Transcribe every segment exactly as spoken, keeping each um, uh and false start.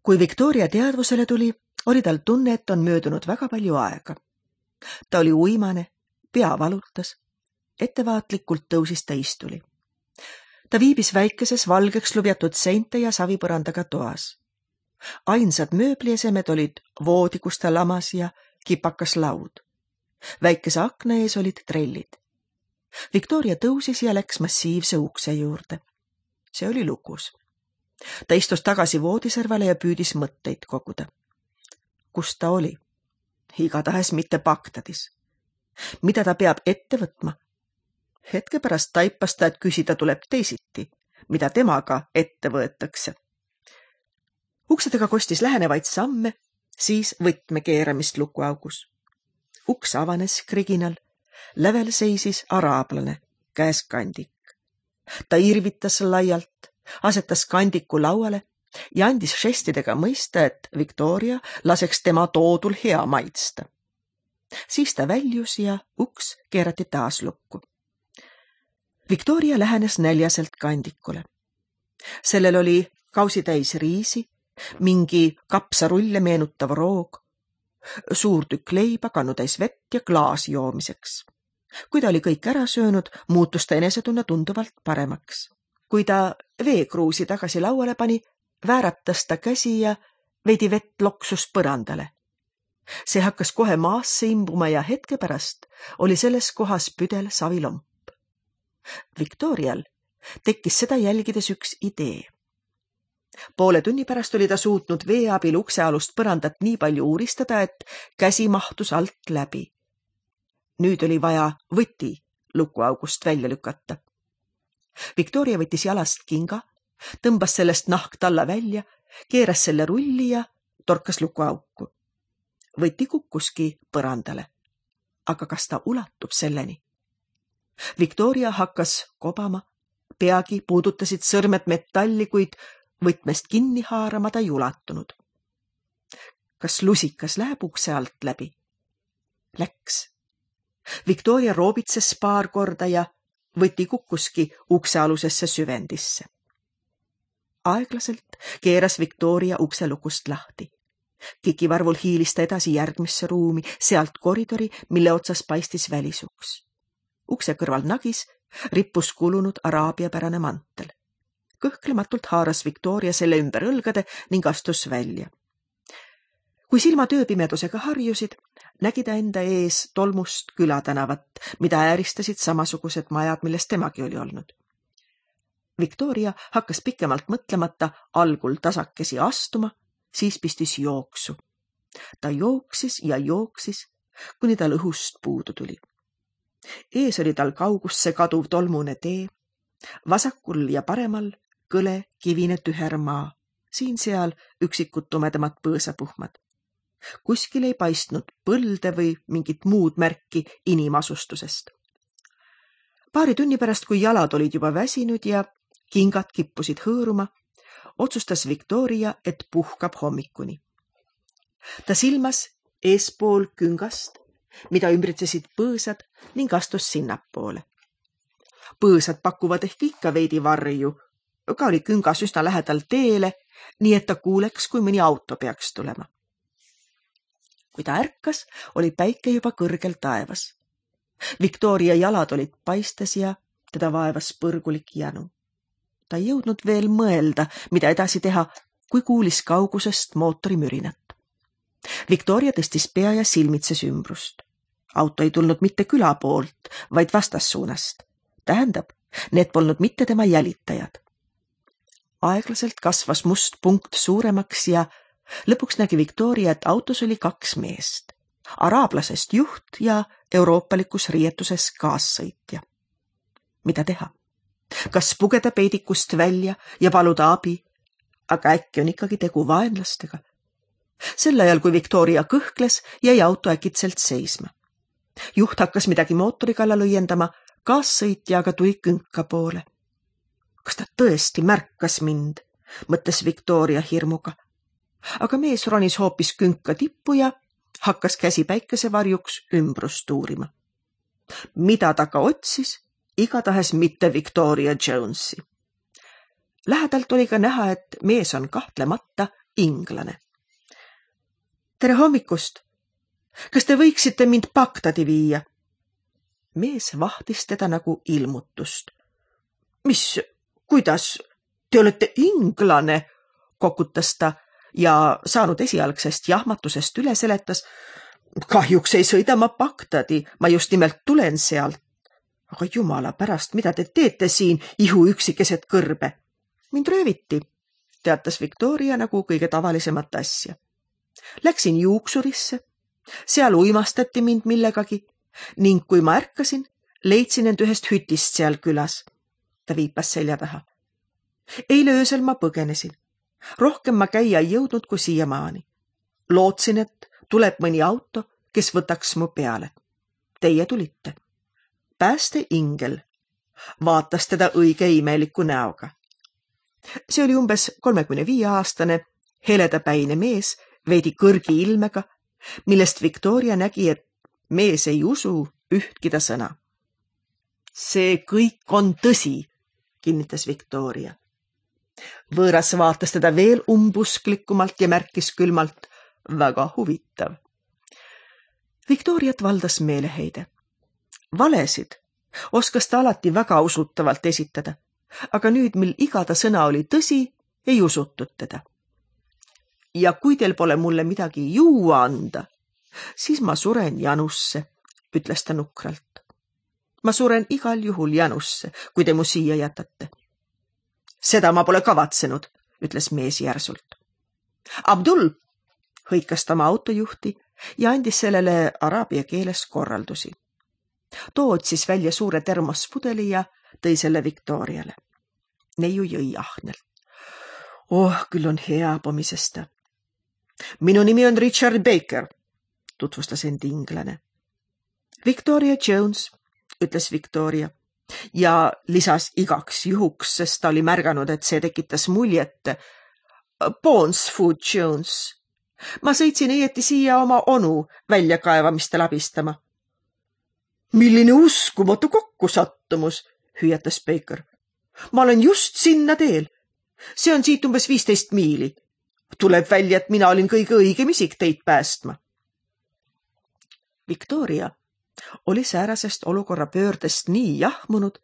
Kui Victoria teadvusele tuli, oli tal tunne, et on möödunud väga palju aega. Ta oli uimane, pea valutas, ettevaatlikult tõusis ta istuli. Ta viibis väikeses valgeks lubjatud seinte ja savipõrandaga toas. Ainsad mööbliesemed olid voodi, kus ta lamas ja kipakas laud. Väikese akna ees olid trellid. Victoria tõusis ja läks massiivse ukse juurde. See oli lukus. Ta istus tagasi voodiservale ja püüdis mõtteid koguda. Kus ta oli? Igatahes mitte Bagdadis. Mida ta peab ette võtma? Hetke pärast taipas ta, et küsida tuleb teisiti, mida temaga ette võetakse. Uksedega kostis lähenevaid samme, siis võtme keeramist lukuaugus. Uks avanes kriginal, lävel seisis araablane, käes kandik. Ta irvitas laialt, asetas kandiku lauale ja andis žestidega mõista, et Victoria laseks tema toodul hea maitsta. Siis ta väljus ja uks keerati taas lukku. Victoria lähenes näljaselt kandikule. Sellel oli kausitäis riisi, mingi kapsarulle meenutav roog, suur tükk leiba, kannutäis vett ja klaas joomiseks. Kui ta oli kõik ära söönud, muutus ta enesetunne tunduvalt paremaks. Kui ta veekruusi tagasi lauale pani, vääratas ta käsi ja veidi vett loksus põrandale. See hakkas kohe maasse imbuma ja hetke pärast oli selles kohas püdel savilomp. Victorial tekkis seda jälgides üks idee. Poole tunni pärast oli ta suutnud vee abil uksealust põrandat nii palju uuristada, et käsi mahtus alt läbi. Nüüd oli vaja võti lukuaugust välja lükata. Victoria võttis jalast kinga, tõmbas sellest nahk talla välja, keeras selle rulli ja torkas lukuauku. Võti kukkuski põrandale. Aga kas ta ulatub selleni? Victoria hakkas kobama, peagi puudutasid sõrmed metalli, kuid võtmest kinni haarama ta ei ulatunud. Kas lusikas läheb ukse alt läbi? Läks. Victoria roobitses paar korda ja võti kukkuski uksealusesse süvendisse. Aeglaselt keeras Victoria ukse lukust lahti. Kikivarvul hiilis ta edasi järgmisse ruumi, sealt koridori, mille otsas paistis välisuks. Ukse kõrval nagis rippus kulunud araabiapärane mantel. Kõhklematult haaras Victoria selle ümber õlgade ning astus välja. Kui silma tööpimedusega harjusid, nägi ta enda ees tolmust külatänavat, mida ääristasid samasugused majad, millest temagi oli olnud. Victoria hakkas pikemalt mõtlemata algul tasakesi astuma, siis pistis jooksu. Ta jooksis ja jooksis, kuni tal õhust puudu tuli. Ees oli tal kaugusse kaduv tolmune tee, vasakul ja paremal kõle kivine tüher maa, siin-seal üksikud tumedamad põõsapuhmad. Kuskil ei paistnud põlde või mingit muud märki inimasustusest. Paari tunni pärast, kui jalad olid juba väsinud ja kingad kippusid hõõruma, otsustas Victoria, et puhkab hommikuni. Ta silmas eespool küngast, mida ümbritsesid põõsad ning astus sinnapoole. Põõsad pakuvad ehk ikka veidi varju, ka oli küngas üsna lähedal teele, nii et ta kuuleks, kui mõni auto peaks tulema. Kui ta ärkas, oli päike juba kõrgel taevas. Victoria jalad olid paistes ja teda vaevas põrgulik jänu. Ta ei jõudnud veel mõelda, mida edasi teha, kui kuulis kaugusest mootori mürinat. Victoria tõstis pea ja silmitses ümbrust. Auto ei tulnud mitte küla poolt, vaid vastassuunast. Tähendab, need polnud mitte tema jälitajad. Aeglaselt kasvas must punkt suuremaks ja lõpuks nägi Victoria, et autos oli kaks meest. Araablasest juht ja euroopalikus riietuses kaassõitja. Mida teha? Kas pugeda peidikust välja ja paluda abi, aga äkki on ikkagi tegu vaenlastega? Sel ajal, kui Victoria kõhkles, jäi auto äkitselt seisma. Juht hakkas midagi mootori kallal õiendama, kaassõitja aga tuli künka poole. Kas ta tõesti märkas mind, mõtles Victoria hirmuga. Aga mees ronis hoopis künka tippu ja hakkas käsi päikesevarjuks ümbrust uurima. Mida ta ka otsis, igatahes mitte Victoria Jonesi. Lähedalt oli ka näha, et mees on kahtlemata inglane. Tere hommikust! Kas te võiksite mind Bagdadi viia? Mees vahtis teda nagu ilmutust. Mis, kuidas? Te olete inglane, kokutas ta ja saanud esialgsest jahmatusest üle seletas. Kahjuks ei sõida ma Bagdadi, ma just nimelt tulen sealt. Aga jumala pärast, mida te teete siin ihu üksi keset kõrbe? Mind rööviti, teatas Victoria nagu kõige tavalisemat asja. Läksin juuksurisse, seal uimastati mind millegagi ning kui ma ärkasin, leidsin end ühest hütist seal külas. Ta viipas selja taha. Eile öösel ma põgenesin. Rohkem ma käia ei jõudnud kui siiamaani. Lootsin, et tuleb mõni auto, kes võtaks mu peale. Teie tulite. Pääste ingel vaatas teda õige imeliku näoga. See oli umbes kolmekümne viie aastane, heledapäine mees, veidi kõrgi ilmega, millest Victoria nägi, et mees ei usu ühtki ta sõna. See kõik on tõsi, kinnitas Victoria. Võõras vaatas teda veel umbusklikumalt ja märkis külmalt, väga huvitav. Victoriat valdas meeleheide. Valesid oskas ta alati väga usutavalt esitada, aga nüüd, mil iga ta sõna oli tõsi, ei usutud teda. Ja kui teil pole mulle midagi juua anda, siis ma suren janusse, ütles ta nukralt. Ma suren igal juhul janusse, kui te mu siia jätate. Seda ma pole kavatsenud, ütles mees järsult. Abdul, hõikas ta oma autojuhti ja andis sellele araabia keeles korraldusi. Too otsis välja suure termospudeli ja tõi selle Victoriale. Neiu jõi ahnelt. Oh, küll on hea, pomises ta. Minu nimi on Richard Baker, tutvustas end inglane. Victoria Jones, ütles Victoria ja lisas igaks juhuks, sest ta oli märganud, et see tekitas muljet. Bonesfoot Jones. Ma sõitsin õieti siia oma onu väljakaevamistel abistama. Milline uskumatu kokkusattumus, hüüatas Baker. Ma olen just sinna teel. See on siit umbes viisteist miili. Tuleb välja, et mina olin kõige õigem isik teid päästma. Victoria oli säärasest olukorra pöördest nii jahmunud,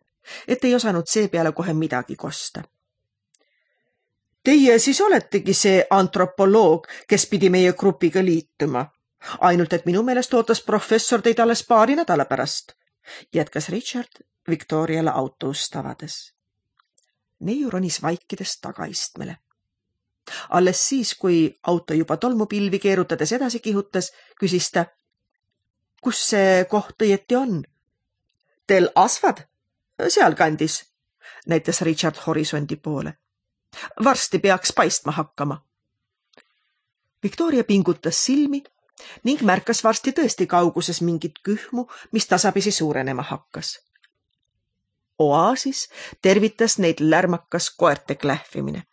et ei osanud seepeale kohe midagi kosta. Teie siis oletegi see antropoloog, kes pidi meie grupiga liituma. Ainult, et minu meelest ootas professor teid alles paari nädala pärast, jätkas Richard Victoriale auto ust avades. Neiu ronis vaikides tagaistmele. Alles siis, kui auto juba tolmupilvi keerutades edasi kihutas, küsis ta, kus see koht õieti on? Tel Asfad? Sealkandis, näitas Richard horisondi poole. Varsti peaks paistma hakkama. Victoria pingutas silmi ning märkas varsti tõesti kauguses mingit kühmu, mis tasapisi suurenema hakkas. Oaasis tervitas neid lärmakas koerte klähvimine.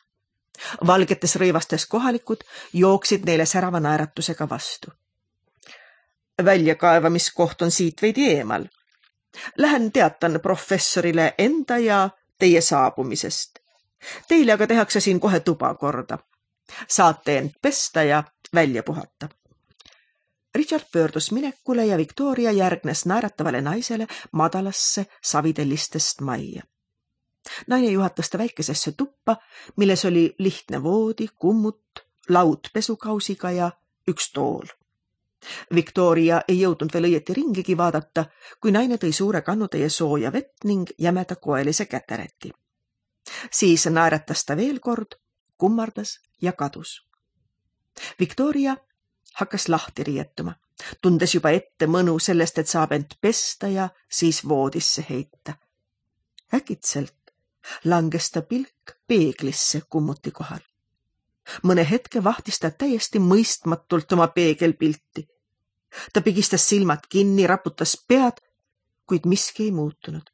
Valgetes rõivastes kohalikud jooksid neile särava naeratusega vastu. Väljakaevamiskoht on siit veidi eemal. Lähen teatan professorile enda ja teie saabumisest. Teile aga tehakse siin kohe tuba korda. Saate end pesta ja välja puhata. Richard pöördus minekule ja Victoria järgnes naeratavale naisele madalasse savitellistest majja. Naine juhatas ta väikesesse tuppa, milles oli lihtne voodi, kummut, laud pesukausiga ja üks tool. Victoria ei jõudnud veel õieti ringigi vaadata, kui naine tõi suure kannutäie sooja vett ning jämeda koelise kätereti. Siis naeratas ta veel kord, kummardas ja kadus. Victoria hakkas lahti riietuma, tundes juba ette mõnu sellest, et saab end pesta ja siis voodisse heita. Äkitselt langes ta pilk peeglisse kummuti kohal. Mõne hetke vahtis ta täiesti mõistmatult oma peegelpilti. Ta pigistas silmad kinni, raputas pead, kuid miski ei muutunud.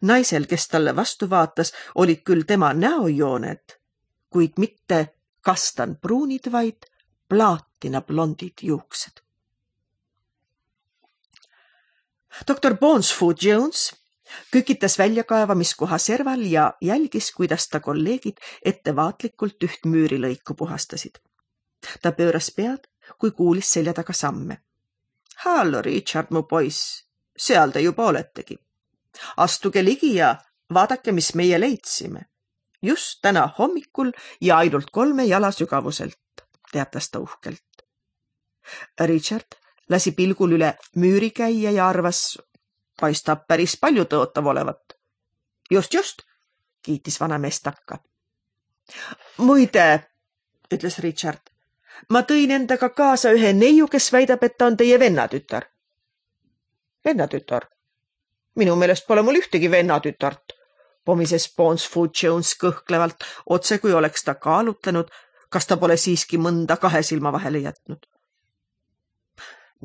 Naisel, kes talle vastu vaatas, olid küll tema näojooned, kuid mitte kastanpruunid, vaid plaatina blondid juuksed. doktor Bonesfoot Jones kükitas väljakaevamiskoha serval ja jälgis, kuidas ta kolleegid ettevaatlikult üht müürilõiku puhastasid. Ta pööras pead, kui kuulis selja taga samme. Hallo, Richard, mu poiss, seal te juba oletegi. Astuge ligi ja vaadake, mis meie leidsime. Just täna hommikul ja ainult kolme jala sügavuselt, teatas ta uhkelt. Richard lasi pilgul üle müüri käia ja arvas, paistab päris palju tõotav olevat. Just, just, kiitis vanamees takka. Muide, ütles Richard, ma tõin endaga kaasa ühe neiu, kes väidab, et ta on teie vennatütar. Vennatütar? Minu meelest pole mul ühtegi vennatütart, pomises Bonesfoot Jones kõhklevalt, otse kui oleks ta kaalutlenud, kas ta pole siiski mõnda kahe silma vahele jätnud.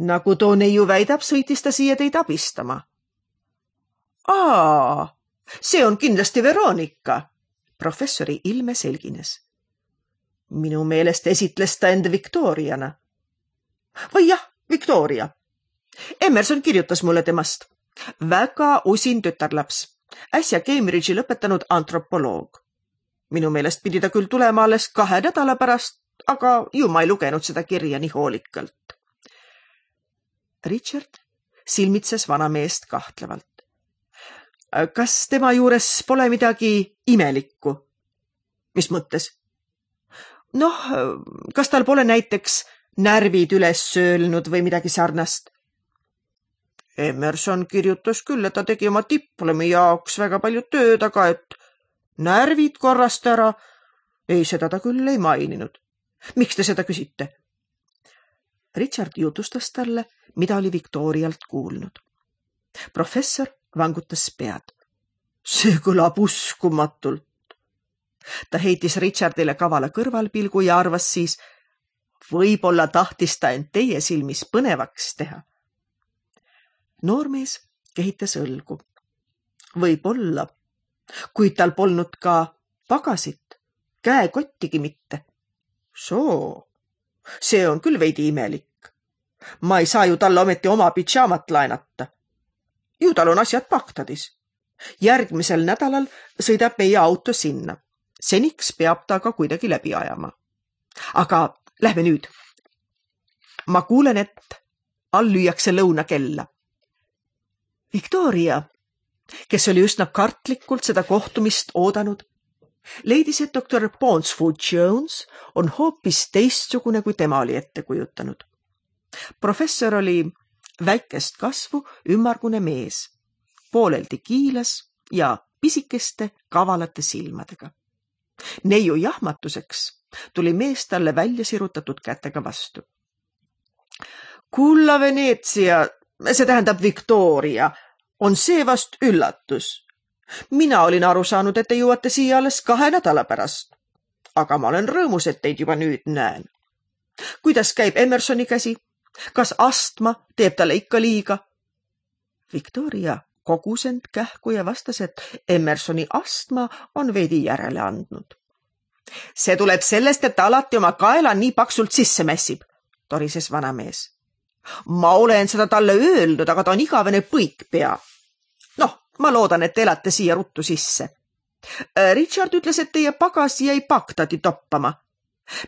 Nagu too neiu väidab, sõitis ta siia teid abistama. Aa, see on kindlasti Veronika, professori ilme selgines. Minu meelest esitles ta end Victoriana. Või jah, Victoria. Emerson kirjutas mulle temast. Väga usin tütarlaps. Äsja Cambridge'i lõpetanud antropoloog. Minu meelest pidi ta küll tulema alles kahe nädala pärast, aga ju ma ei lugenud seda kirja nii hoolikalt. Richard silmitses vanameest kahtlevalt. Kas tema juures pole midagi imelikku? Mis mõttes? Noh, kas tal pole näiteks närvid üles söölnud või midagi sarnast? Emerson kirjutas küll, et ta tegi oma diplomi jaoks väga palju tööd, aga et närvid korrast ära, ei, seda ta küll ei maininud. Miks te seda küsite? Richard jutustas talle, mida oli Victorialt kuulnud. Professor vangutas pead. See kõlab uskumatult. Ta heitis Richardile kavala kõrvalpilgu ja arvas siis, võib-olla tahtis ta end teie silmis põnevaks teha. Noormees kehitas õlgu. Võib-olla, kuid tal polnud ka pagasit, käekottigi mitte. Soo, see on küll veidi imelik. Ma ei saa ju talle ometi oma pidžaamat laenata. Ju tal on asjad Bagdadis. Järgmisel nädalal sõidab meie auto sinna. Seniks peab ta ka kuidagi läbi ajama. Aga lähme nüüd. Ma kuulen, et all lüüakse lõunakella. Victoria, kes oli üsna kartlikult seda kohtumist oodanud, leidis, et doktor Bonesfoot Jones on hoopis teistsugune, kui tema oli ette kujutanud. Professor oli väikest kasvu ümmargune mees, pooleldi kiilas ja pisikeste kavalate silmadega. Neiu jahmatuseks tuli mees talle välja sirutatud kätega vastu. Kulla Veneetsia, see tähendab Victoria, on see vast üllatus. Mina olin aru saanud, et te jõuate siia alles kahe nädala pärast. Aga ma olen rõõmus, et teid juba nüüd näen. Kuidas käib Emersoni käsi? Kas astma teeb talle ikka liiga? Victoria kogus end kähku ja vastas, et Emersoni astma on veidi järele andnud. See tuleb sellest, et ta alati oma kaela nii paksult sisse mässib, torises vanamees. Ma olen seda talle öelnud, aga ta on igavene põikpea. Noh, ma loodan, et te elate siia ruttu sisse. Richard ütles, et teie pagas jäi Bagdadi toppama.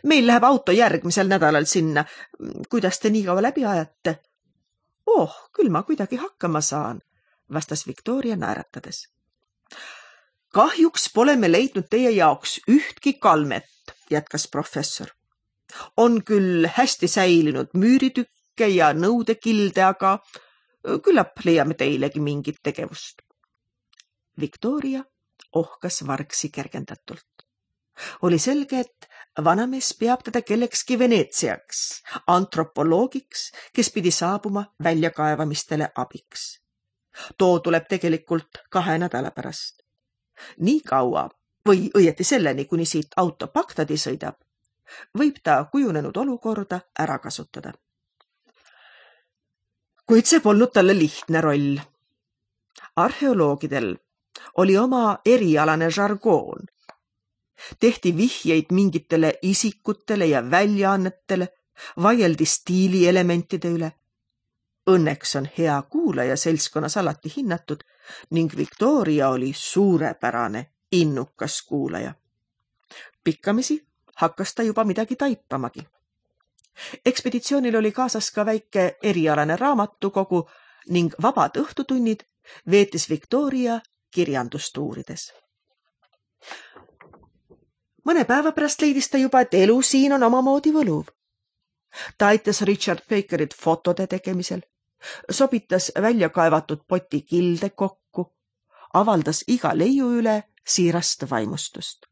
Meil läheb auto järgmisel nädalal sinna. Kuidas te nii kaua läbi ajate? Oh, küll ma kuidagi hakkama saan, vastas Victoria naeratades. Kahjuks pole me leidnud teie jaoks ühtki kalmet, jätkas professor. On küll hästi säilinud müüritükke ja nõudekilde, aga küllap leiame teilegi mingit tegevust. Victoria ohkas vargsi kergendatult. Oli selge, et vanamees peab teda kellekski Veneetsiaks, antropoloogiks, kes pidi saabuma väljakaevamistele abiks. Too tuleb tegelikult kahe nädala pärast. Nii kaua, või õieti selleni, kuni siit auto Bagdadi sõidab, võib ta kujunenud olukorda ära kasutada. Kuid see polnud talle lihtne roll. Arheoloogidel oli oma erialane žargoon. Tehti vihjeid mingitele isikutele ja väljaannetele, vaieldi stiilielementide üle. õnneks on hea kuulaja seltskonnas alati hinnatud ning Victoria oli suurepärane, innukas kuulaja. Pikkamisi hakkas ta juba midagi taipamagi. Ekspeditsioonil oli kaasas ka väike erialane raamatukogu ning vabad õhtutunnid veetis Victoria kirjandust uurides. Mõne päeva pärast leidis ta juba, et elu siin on omamoodi võluv. Ta aitas Richard Bakerit fotode tegemisel, sobitas välja kaevatud poti kilde kokku, avaldas iga leiu üle siirast vaimustust.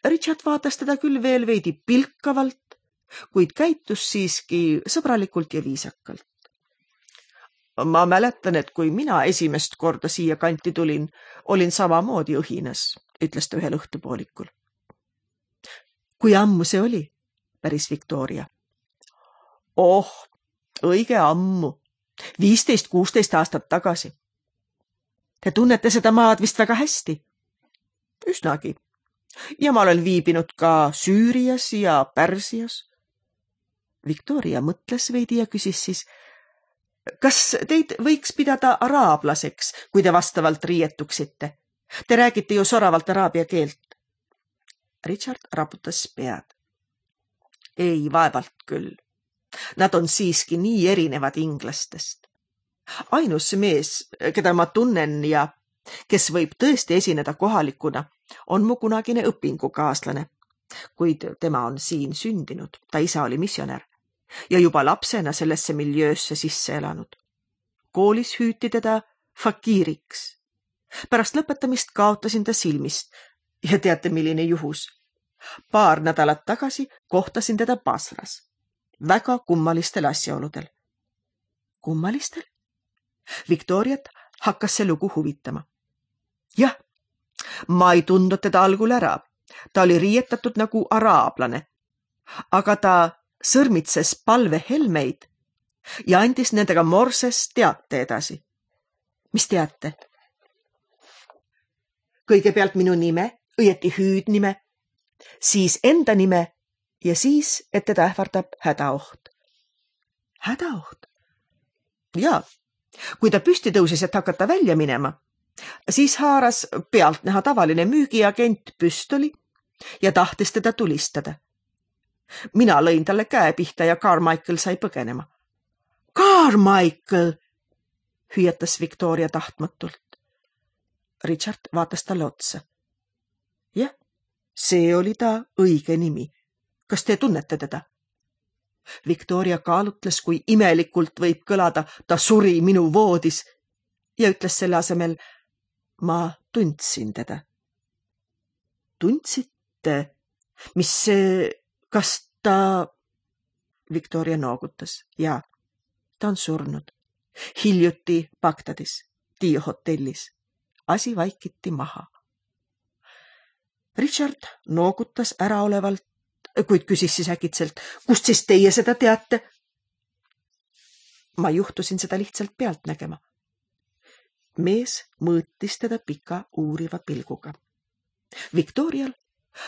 Richard vaatas teda küll veel veidi pilkavalt, kuid käitus siiski sõbralikult ja viisakalt. Ma mäletan, et kui mina esimest korda siia kanti tulin, olin samamoodi õhinas, ütles ta ühel õhtupoolikul. Kui ammu see oli, päris Victoria. Oh, õige ammu, viisteist kuusteist aastat tagasi. Te tunnete seda maad vist väga hästi? Üsnagi. Ja ma olen viibinud ka Süürias ja Pärsias. Victoria mõtles veidi ja küsis siis, kas teid võiks pidada araablaseks, kui te vastavalt riietuksite? Te räägite ju soravalt araabia keelt. Richard raputas pead. Ei, vaevalt küll. Nad on siiski nii erinevad inglastest. Ainus mees, keda ma tunnen ja kes võib tõesti esineda kohalikuna, on mu kunagine õpingukaaslane, kuid tema on siin sündinud, ta isa oli missionär ja juba lapsena sellesse miljöösse sisse elanud. Koolis hüüti teda fakiiriks. Pärast lõpetamist kaotasin ta silmist ja teate, milline juhus. Paar nädalat tagasi kohtasin teda Basras. Väga kummalistel asjaoludel. Kummalistel? Victoriat hakkas see lugu huvitama. Jah, ma ei tundnud teda algul ära. Ta oli riietatud nagu araablane. Aga ta sõrmitses palvehelmeid ja andis nendega morses teate edasi. Mis teate? Kõigepealt minu nime, õieti hüüdnime, siis enda nime ja siis, et teda ähvardab hädaoht. Hädaoht? Jaa, kui ta püsti tõusis, et hakata välja minema, siis haaras pealtnäha tavaline müügiagent püstoli ja tahtis teda tulistada. Mina lõin talle käe pihta ja Carmichael sai põgenema. Carmichael! Hüüatas Victoria tahtmatult. Richard vaatas talle otsa. Jah, see oli ta õige nimi. Kas te tunnete teda? Victoria kaalutles, kui imelikult võib kõlada, ta suri minu voodis ja ütles selle asemel, ma tundsin teda. Tundsite? Mis see, kas ta... Victoria noogutas. Jaa, ta on surnud. Hiljuti Bagdadis, Dio hotellis. Asi vaikiti maha. Richard noogutas äraolevalt, kuid küsis siis äkitselt, kust siis teie seda teate? Ma juhtusin seda lihtsalt pealt nägema. Mees mõõtis teda pika uuriva pilguga. Victorial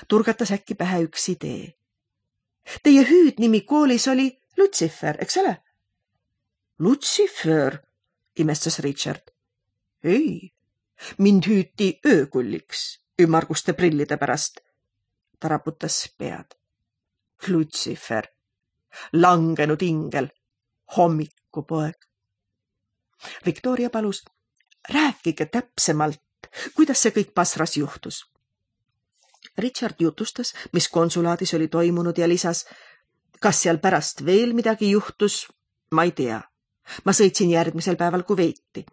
turgatas äkki pähe üks idee. Teie hüüdnimi koolis oli Lucifer, eks ole? Lucifer, imestas Richard. Ei, mind hüüti öökulliks ümmarguste prillide pärast. Ta raputas pead. Lucifer, langenud ingel, hommikupoeg. Victoria palus, rääkige täpsemalt, kuidas see kõik Basras juhtus. Richard jutustas, mis konsulaadis oli toimunud ja lisas, kas seal pärast veel midagi juhtus, ma ei tea. Ma sõitsin järgmisel päeval Kuveiti.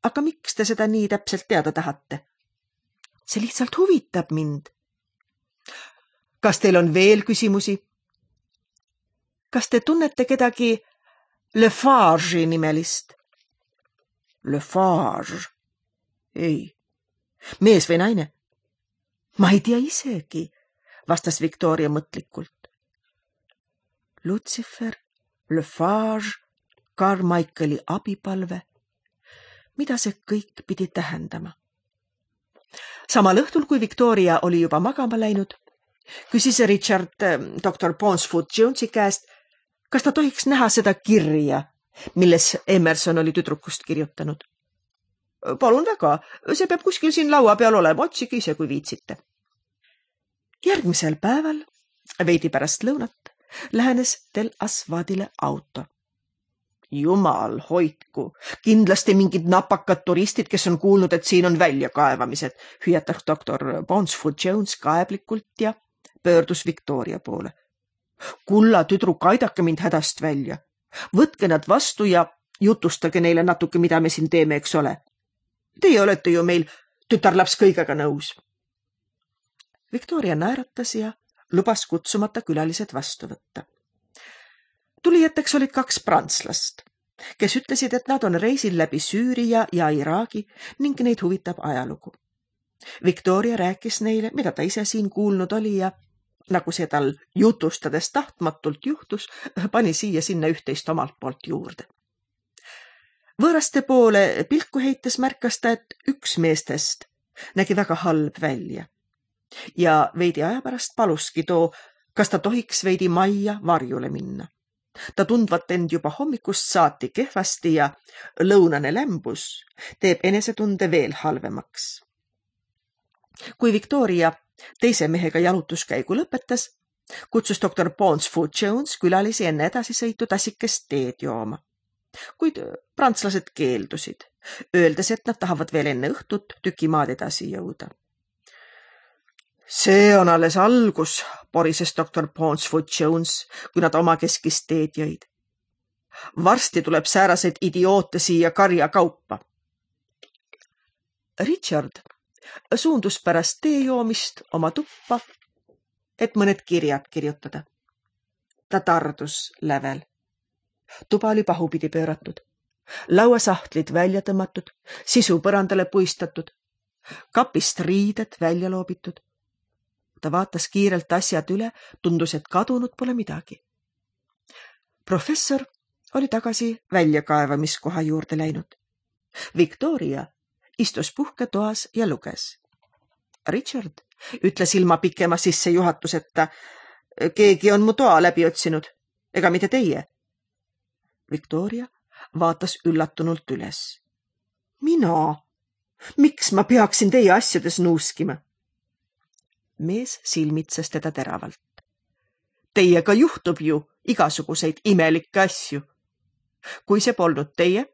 Aga miks te seda nii täpselt teada tahate? See lihtsalt huvitab mind. Kas teil on veel küsimusi? Kas te tunnete kedagi Lafarge'i nimelist? Lafarge? Ei. Mees või naine? Ma ei tea isegi, vastas Victoria mõtlikult. Lucifer, Lafarge, Carmichaeli abipalve. Mida see kõik pidi tähendama? Samal õhtul, kui Victoria oli juba magama läinud, küsis Richard doktor Ponsfoot Jonesi käest, kas ta tohiks näha seda kirja, milles Emerson oli tüdrukust kirjutanud. Palun väga, see peab kuskil siin laua peal olema, otsige ise, kui viitsite. Järgmisel päeval, veidi pärast lõunat, lähenes Tel Asvadile auto. Jumal hoidku, kindlasti mingid napakad turistid, kes on kuulnud, et siin on väljakaevamised, hüüatas doktor Bonsfoot Jones kaeblikult ja pöördus Victoria poole. Kulla tüdruk, aidake mind hädast välja. Võtke nad vastu ja jutustage neile natuke, mida me siin teeme, eks ole. Teie olete ju meil tütarlaps kõigega nõus. Victoria naeratas ja lubas kutsumata külalised vastu võtta. Tulijateks olid kaks prantslast, kes ütlesid, et nad on reisil läbi Süüria ja Iraagi ning neid huvitab ajalugu. Victoria rääkis neile, mida ta ise siin kuulnud oli ja nagu see tal jutustades tahtmatult juhtus, pani siia sinna üht-teist omalt poolt juurde. Võõraste poole pilku heites märkas ta, et üks meestest nägi väga halb välja ja veidi aja pärast paluski too, kas ta tohiks veidi majja varjule minna. Ta tundvat end juba hommikust saati kehvasti ja lõunane lämbus teeb enesetunde veel halvemaks. Kui Victoria teise mehega jalutuskäigu lõpetas, kutsus doktor Bonsfoot Jones külalisi enne edasisõitu tassikest teed jooma. Kuid prantslased keeldusid, öeldes, et nad tahavad veel enne õhtut tükimaad edasi jõuda. See on alles algus, porises doktor Bonsfoot Jones, kui nad oma keskist teed jõid. Varsti tuleb sääraseid idioote siia karja kaupa. Richard suundus pärast tee joomist oma tuppa, et mõned kirjad kirjutada. Ta tardus lävel. Tuba oli pahupidi pööratud, lauasahtlid välja tõmmatud, sisu põrandale puistatud, kapist riided välja loobitud. Ta vaatas kiirelt asjad üle, tundus, et kadunud pole midagi. Professor oli tagasi väljakaevamiskoha juurde läinud. Victoria istus puhketoas ja luges. Richard ütles ilma pikema sissejuhatuseta, keegi on mu toa läbi otsinud, ega mitte teie. Victoria vaatas üllatunult üles. Mina? Miks ma peaksin teie asjades nuuskima? Mees silmitses teda teravalt. Teiega juhtub ju igasuguseid imelikke asju. Kui see polnud teie,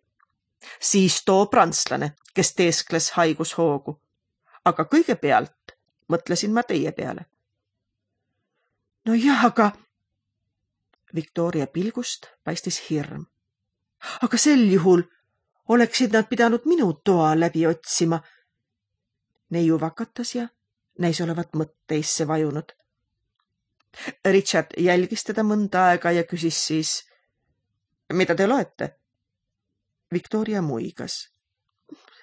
siis too prantslane, kes teeskles haigushoogu. Aga kõigepealt mõtlesin ma teie peale. No jah, aga... Victoria pilgust paistis hirm. Aga sel juhul oleksid nad pidanud minu toa läbi otsima. Neiu vakatas ja näis olevat mõtteisse vajunud. Richard jälgis teda mõnda aega ja küsis siis, mida te loete? Victoria muigas.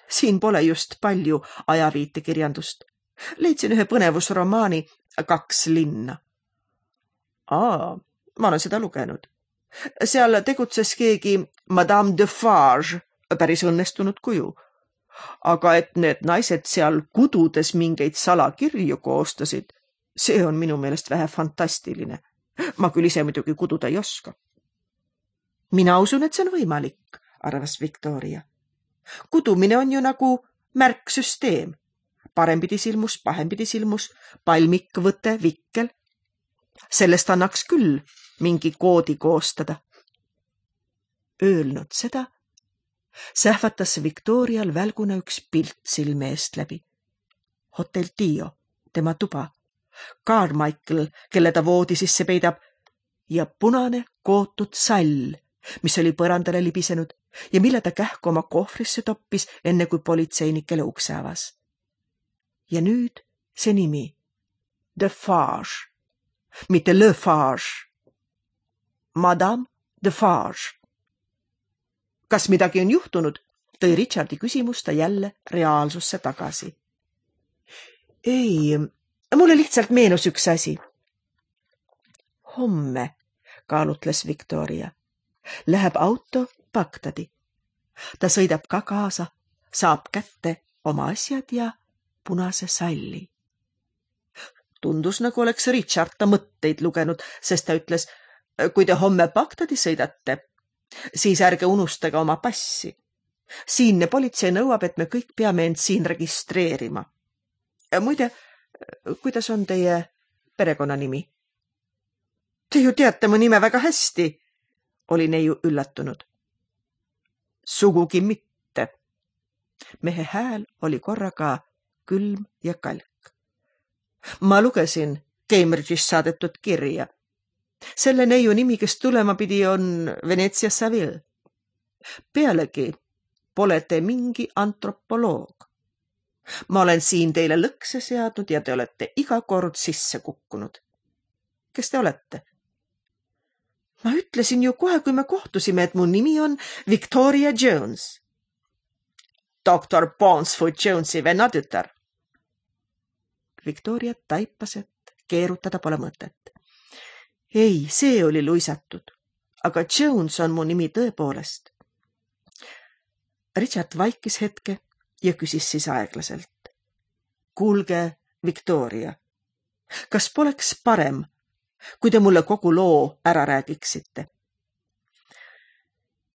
Siin pole just palju ajaviitekirjandust. Leidsin ühe põnevusromaani Kaks linna. Aa, ma olen seda lugenud. Seal tegutses keegi Madame Defarge, päris õnnestunud kuju. Aga et need naised seal kududes mingeid salakirju koostasid, see on minu meelest vähe fantastiline. Ma küll ise muidugi kududa ei oska. Mina usun, et see on võimalik, arvas Victoria. Kudumine on ju nagu märksüsteem. Parempidi silmus, pahempidi silmus, palmik, võte, vikkel. Sellest annaks küll mingi koodi koostada. Öelnud seda, sähvatas Victorial välguna üks pilt silme eest läbi. Hotel Tio, tema tuba, Carmichael, kelle ta voodi sisse peidab, ja punane kootud sall, mis oli põrandale libisenud ja mille ta kähku oma kohvrisse toppis, enne kui politseinikele ukse avas. Ja nüüd see nimi, Defarge, mitte Lefarge. Madame Defarge. Kas midagi on juhtunud? Tõi Richardi küsimus ta jälle reaalsusse tagasi. Ei, mulle lihtsalt meenus üks asi. Homme, kaalutles Victoria, läheb auto Bagdadi. Ta sõidab ka kaasa, saab kätte oma asjad ja punase salli. Tundus, nagu oleks Richard ta mõtteid lugenud, sest ta ütles, kui te homme Bagdadi sõidate, Siis ärge unustage oma passi. Siinne politsei nõuab, et me kõik peame end siin registreerima. Muide, kuidas on teie perekonnanimi? Te ju teate mu nime väga hästi, oli neiu üllatunud. Sugugi mitte. Mehe hääl oli korraga külm ja kalk. Ma lugesin Cambridge'is saadetud kirja. Selle neiu nimi, kes tulema pidi, on Venetsia Saville. Pealegi pole te mingi antropoloog. Ma olen siin teile lõkse seadnud ja te olete iga kord sisse kukkunud. Kes te olete? Ma ütlesin ju kohe, kui me kohtusime, et mu nimi on Victoria Jones. doktor Ponsfoot Jonesi vennatütar. Victoria taipas, et keerutada pole mõtet. Ei, see oli luisatud, aga Jones on mu nimi tõepoolest. Richard vaikis hetke ja küsis siis aeglaselt. Kuulge, Victoria, kas poleks parem, kui te mulle kogu loo ära räägiksite?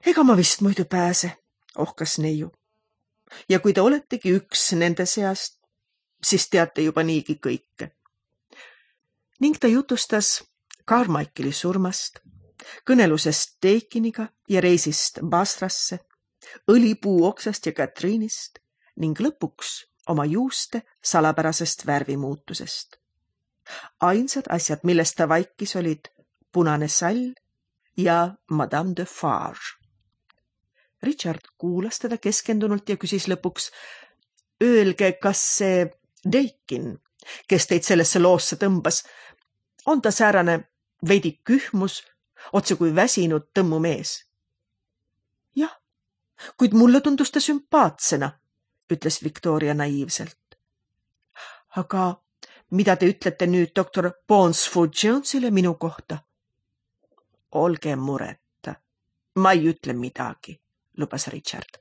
Ega ma vist muidu pääse, ohkas neiu. Ja kui te oletegi üks nende seast, siis teate juba niigi kõike. Ning ta jutustas Carmichaeli surmast, kõnelusest Teikiniga ja reisist Basrasse, õlipuu oksast ja Katriinist ning lõpuks oma juuste salapärasest värvimuutusest. Ainsad asjad, millest ta vaikis, olid punane sall ja Madame de Farge. Richard kuulas teda keskendunult ja küsis lõpuks, öelge, kas see Deikin, kes teid sellesse loosse tõmbas, on ta säärane veidi kühmus, otse kui väsinud tõmmumees? Jah, kuid mulle tundus ta sümpaatsena, ütles Victoria naiivselt. Aga mida te ütlete nüüd doktor Ponsfoot Jonesile minu kohta? Olge mureta, ma ei ütle midagi, lubas Richard.